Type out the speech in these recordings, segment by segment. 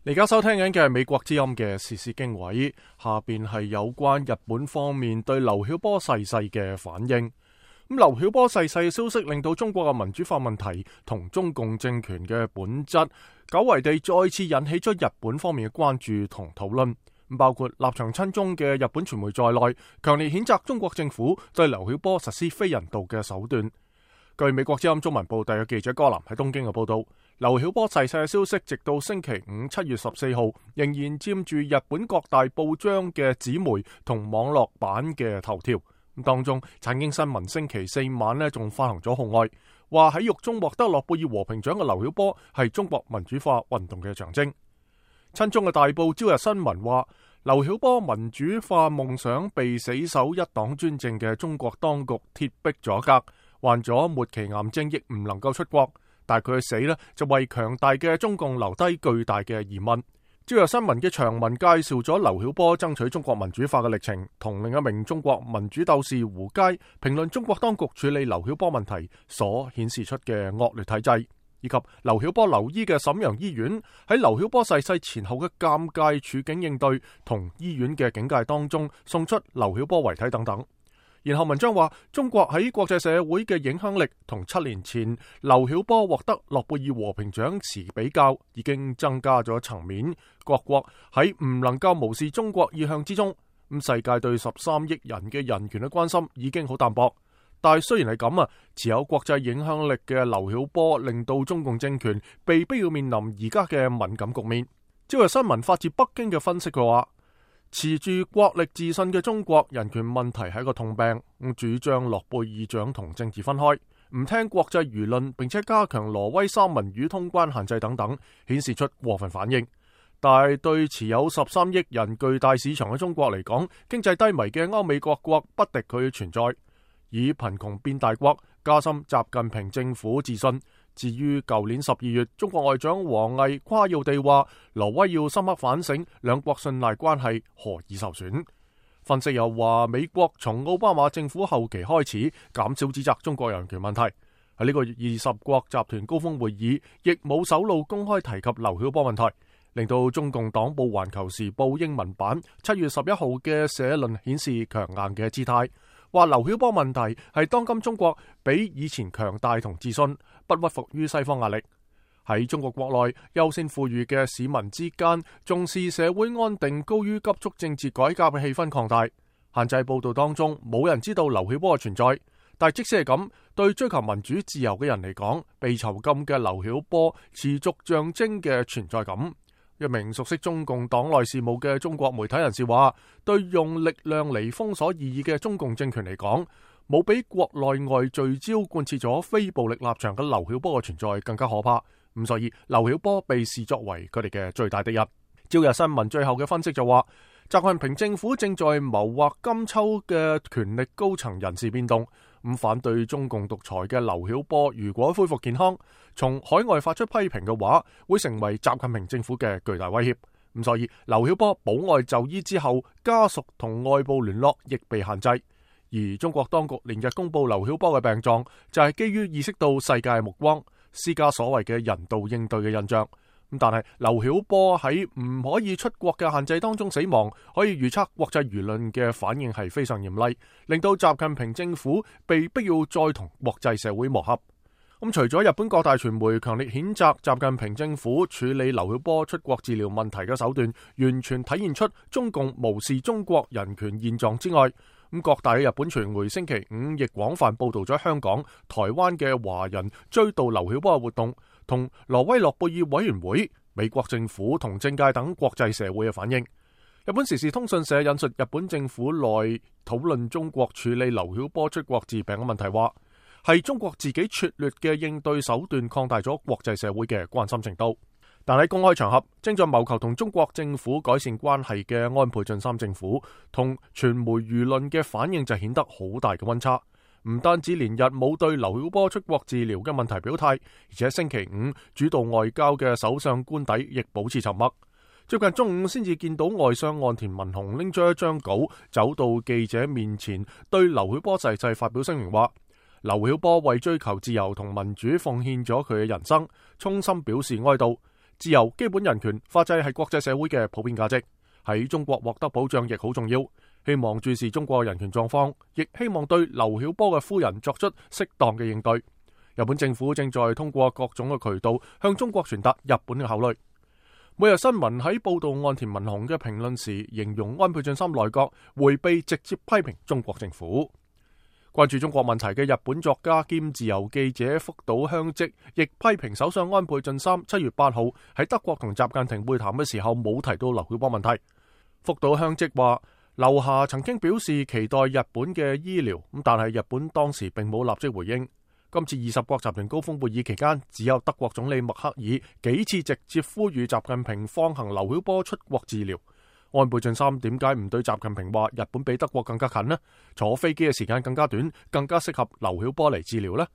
而家收聽緊嘅係美國之音嘅時事經緯，下邊係有關日本方面對劉曉波逝世嘅反應。咁劉曉波逝世嘅消息令到中國嘅民主化問題同中共政權嘅本質，久違地再次引起咗日本方面嘅關注同討論。包括立場親中嘅日本傳媒在內，強烈譴責中國政府對劉曉波實施非人道嘅手段。據美國之音中文部特約記者柯林喺東京嘅報道，劉曉波逝世嘅消息直到星期五7月14號仍然佔住日本各大報章嘅紙媒同網絡版嘅頭條。當中產經新聞星期四晚呢仲發行咗號外，話喺獄中獲得諾貝爾和平獎嘅劉曉波係中國民主化運動嘅象徵。親中嘅大報朝日新聞話，劉曉波民主化夢想被死守一黨專政嘅中國當局鐵壁阻隔，患咗末期癌症亦唔能夠出國，但係佢嘅死呢就為強大嘅中共留低巨大嘅疑問。朝日新聞嘅長文介紹咗劉曉波爭取中國民主化嘅歷程，同另一名中國民主鬥士胡佳評論中國當局處理劉曉波問題所顯示出嘅惡劣體制，以及劉曉波留醫嘅瀋陽醫院喺劉曉波逝世前後嘅尷尬處境應對，同醫院嘅警戒當中送出劉曉波遺體等等。然後文章話，中國喺國際社會嘅影響力同7年前劉曉波獲得諾貝爾和平獎時比較，已經增加咗層面。各國喺唔能夠無視中國意向之中，世界對13億人嘅人權嘅關心已經好淡薄。但係雖然係咁持有國際影響力嘅劉曉波令到中共政權被逼要面臨而家嘅敏感局面。朝日新聞發自北京嘅分析嘅話，持住國力自信嘅中國人權問題係一個痛病，主張諾貝爾獎同政治分開，唔聽國際輿論，並且加強挪威三文魚通關限制等等，顯示出過分反應。但係對持有13億人巨大市場嘅中國嚟講，經濟低迷嘅歐美各國不敵佢嘅存在，以貧窮變大國，加深習近平政府自信。至於舊年12月，中國外長王毅誇耀地話，挪威要深刻反省兩國信賴關係何以受損。分析又話，美國從奧巴馬政府後期開始減少指責中國人權問題，喺呢個月20國集團高峰會議亦冇首露公開提及劉曉波問題，令到中共黨報《環球時報》英文版7月11號嘅社論顯示強硬嘅姿態，話劉曉波問題係當今中國比以前強大同自信，不屈服於西方壓力。喺中國國內優先富裕嘅市民之間，重視社會安定高於急速政治改革嘅氣氛擴大。限制報道當中冇人知道劉曉波嘅存在，但即使係咁，對追求民主自由嘅人嚟講，被囚禁嘅劉曉波持續象徵嘅存在感。一名熟悉中共黨內事務嘅中國媒體人士話，對用力量嚟封鎖異議嘅中共政權嚟講，冇比國內外聚焦貫徹咗非暴力立場嘅劉曉波嘅存在更加可怕。咁所以劉曉波被視作為佢哋嘅最大敵人。朝日新聞最後嘅分析就話，習近平政府正在謀劃今秋嘅權力高層人事變動，反對中共獨裁嘅劉曉波如果恢復健康，從海外發出批評嘅話，會成為習近平政府嘅巨大威脅。咁所以劉曉波保外就醫之後，家屬同外部聯絡亦被限制。而中國當局連日公布劉曉波嘅病狀，就係基於意識到世界目光，施加所謂嘅人道應對嘅印象。但係劉曉波喺唔可以出國嘅限制當中死亡，可以預測國際輿論嘅反應係非常嚴厲，令到習近平政府被逼要再同國際社會磨合。除咗日本各大傳媒強烈譴責習近平政府處理劉曉波出國治療問題嘅手段，完全體現出中共無視中國人權現狀之外，各大嘅日本傳媒星期五亦廣泛報道咗香港、台灣嘅華人追悼劉曉波嘅活動，同挪威諾貝爾委員會、美國政府同政界等國際社會嘅反應。日本時事通訊社引述日本政府內討論中國處理劉曉波出國治病嘅問題話，係中國自己拙劣嘅應對手段擴大咗國際社會嘅關心程度。但喺公開場合，正在謀求同中國政府改善關係嘅安倍晉三政府同傳媒輿論嘅反應就顯得好大嘅溫差。唔單止連日冇對劉曉波出國治療嘅問題表態，而且星期五主導外交嘅首相官邸亦保持沉默。最近中午先至見到外相岸田文雄拎咗一張稿走到記者面前，對劉曉波逝世發表聲明話，劉曉波為追求自由同民主奉獻咗佢嘅人生，衷心表示哀悼。自由、基本人權、法制係國際社會嘅普遍價值，喺中國獲得保障亦好重要。希望注視中國人權狀況，亦希望對劉曉波嘅夫人作出適當嘅應對。日本政府正在通過各種嘅渠道向中國傳達日本嘅考慮。每日新聞喺報道岸田文雄嘅評論時，形容安倍晉三內閣迴避直接批評中國政府。關注中國問題嘅日本作家兼自由記者福島香織亦批評首相安倍晉三7月8號喺德國同習近平會談嘅時候冇提到劉曉波問題。福島香織話，劉霞曾經表示期待日本嘅醫療，但係日本當時並冇立即回應。今次20國集團高峰會議期間，只有德國總理默克爾幾次直接呼籲習近平放行劉曉波出國治療。安倍晉三點解唔對習近平話日本比德國更加近呢？坐飛機嘅時間更加短，更加適合劉曉波嚟治療呢？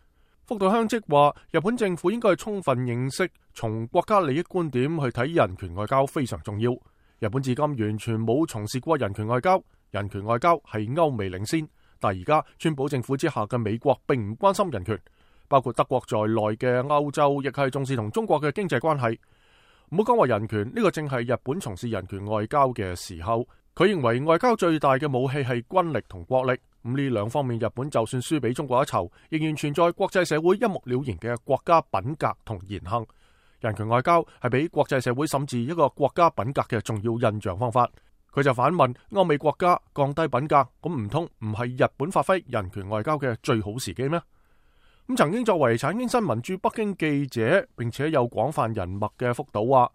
福島香織話，日本政府應該充分認識從國家利益觀點去睇人權外交非常重要。日本至今完全冇從事過人權外交，人權外交係歐美領先。但而家川普政府之下嘅美國並唔關心人權，包括德國在內嘅歐洲亦係重視同中國嘅經濟關係。唔好講話人權，呢個正係日本從事人權外交嘅時候。佢認為外交最大嘅武器係軍力同國力，咁呢兩方面日本就算輸俾中國一籌，仍然存在國際社會一目了然嘅國家品格同言行。人權外交係俾國際社會審視一個國家品格嘅重要印象方法。佢就反問歐美國家降低品格，咁唔通唔係日本發揮人權外交嘅最好時機咩？咁曾經作為產經新聞駐北京記者，並且有廣泛人脈嘅福島話，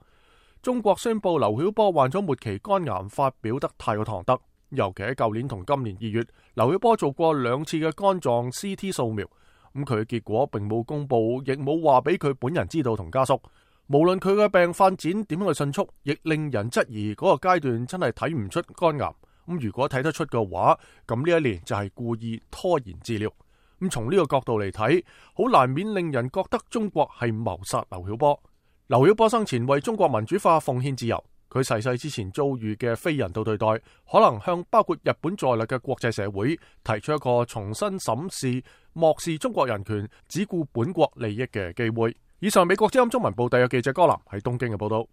中國宣布劉曉波患咗末期肝癌，發表得太過唐突。尤其喺舊年同今年2月，劉曉波做過2次嘅肝臟 CT 掃描，咁佢嘅結果並冇公布，亦冇話俾佢本人知道同家屬。無論佢嘅病發展點樣去迅速，亦令人質疑嗰個階段真係睇唔出肝癌。咁如果睇得出嘅話，咁呢一年就係故意拖延治療。咁從呢個角度嚟睇，好難免令人覺得中國係謀殺劉曉波。劉曉波生前為中國民主化奉獻自由，佢逝世之前遭遇嘅非人道對待，可能向包括日本在內嘅國際社會提出一個重新審視漠視中國人權、只顧本國利益嘅機會。以上美國之音中文部特約記者江南喺東京嘅報道。